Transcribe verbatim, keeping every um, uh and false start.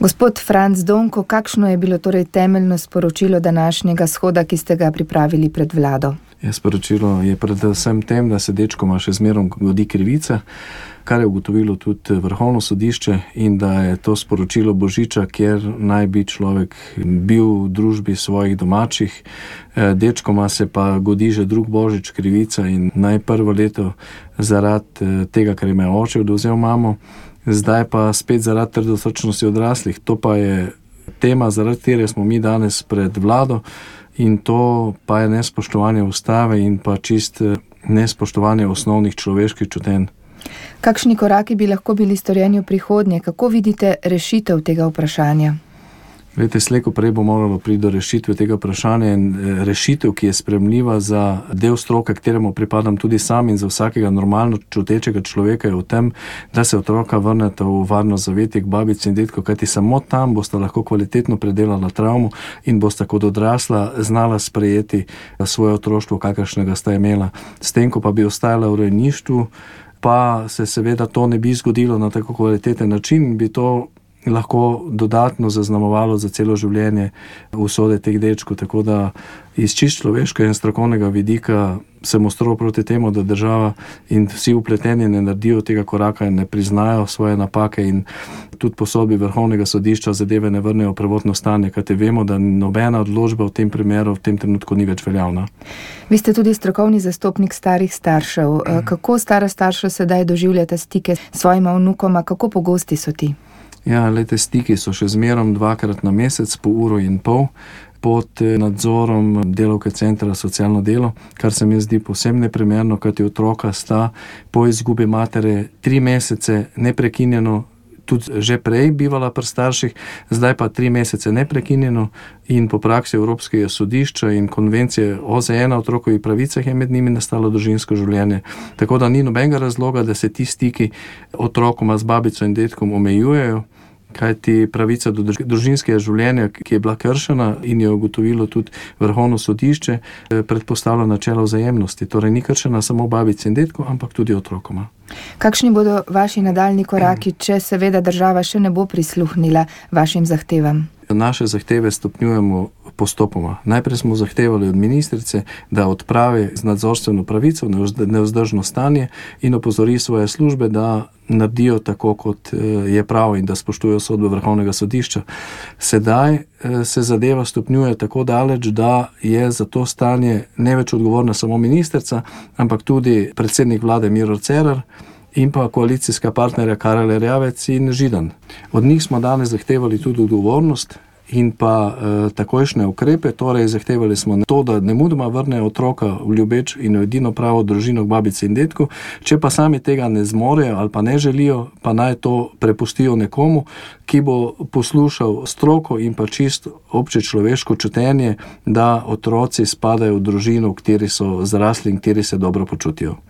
Gospod Franc Donko, kakšno je bilo torej temeljno sporočilo današnjega shoda, ki ste ga pripravili pred vlado? Ja, sporočilo je predvsem tem, da se dečkoma še zmerom godi krivica, kar je ugotovilo tudi Vrhovno sodišče, in da je to sporočilo Božiča, kjer naj bi človek bil v družbi svojih domačih. Dečkoma se pa godi že drug Božič krivica in naj prvo leto zaradi tega, ker ima oče odvzel mamo, zdaj pa spet zaradi trdosrčnosti odraslih. To pa je tema, zaradi katere smo mi danes pred vlado, in to pa je nespoštovanje ustave in pa čist nespoštovanje osnovnih človeških čutenj. Kakšni koraki bi lahko bili storjeni v prihodnje? Kako vidite rešitev tega vprašanja? Vete, slej ko prej bo moralo priti do rešitve tega vprašanja, in rešitev, ki je sprejemljiva za del stroke, kateremu pripadam tudi sam, in za vsakega normalno čutečega človeka, je v tem, da se otroka vrneta v varno zavetje k babici in detku, kajti samo tam bosta lahko kvalitetno predelala travmo in bosta kot odrasla znala sprejeti svoje otroštvo, kakršnega sta imela. S tem, ko pa bi ostajala v rejništvu, pa se seveda to ne bi zgodilo na tako kvaliteten način, bi to lahko dodatno zaznamovalo za celo življenje usode teh dečkov. Tako da iz čist človeškega in strokovnega vidika sem ostro proti temu, da država in vsi vpleteni ne naredijo tega koraka in ne priznajo svoje napake in tudi po sodbi Vrhovnega sodišča zadeve ne vrnejo v prvotno stanje, kajti vemo, da nobena odločba v tem primeru v tem trenutku ni več veljavna. Vi ste tudi strokovni zastopnik starih staršev. Kako stara starša sedaj doživljate stike s svojima vnukoma, kako pogosti so ti? Ja, lejte, stiki so še zmerom dvakrat na mesec, po uro in pol, pod nadzorom delavke centra socialno delo, kar se mi zdi povsem neprimerno, kajti otroka sta po izgubi matere tri mesece neprekinjeno, tudi že prej bivala pri starših, zdaj pa tri mesece neprekinjeno, in po praksi Evropskega sodišča in konvencije O Z N o otrokovih pravicah je med njimi nastalo družinsko življenje. Tako da ni nobenega razloga, da se ti stiki otrokoma z babico in detkom omejujejo, kajti pravica do družinskega življenja, ki je bila kršena in je ugotovilo tudi Vrhovno sodišče, predpostavlja načelo vzajemnosti. Torej ni kršena samo babici in detku, ampak tudi otrokoma. Kakšni bodo vaši nadaljnji koraki, če seveda država še ne bo prisluhnila vašim zahtevam? Naše zahteve stopnjujemo postopoma. Najprej smo zahtevali od ministrice, da odpravi z nadzorstveno pravico nevzdržno stanje in opozori svoje službe, da naredijo tako, kot je prav, in da spoštujejo sodbe Vrhovnega sodišča. Sedaj se zadeva stopnjuje tako daleč, da je za to stanje ne več odgovorna samo ministrica, ampak tudi predsednik vlade Miro Cerar in pa koalicijska partnerja Karel Erjavec in Židan. Od njih smo danes zahtevali tudi odgovornost in pa e, takojšnje ukrepe, torej zahtevali smo to, da nemudoma vrnejo otroka v ljubeč in v edino pravo družino k babici in detku, če pa sami tega ne zmorejo ali pa ne želijo, pa naj to prepustijo nekomu, ki bo poslušal stroko in pa čisto obče človeško čutenje, da otroci spadajo v družino, v kateri so zrasli in v kateri se dobro počutijo.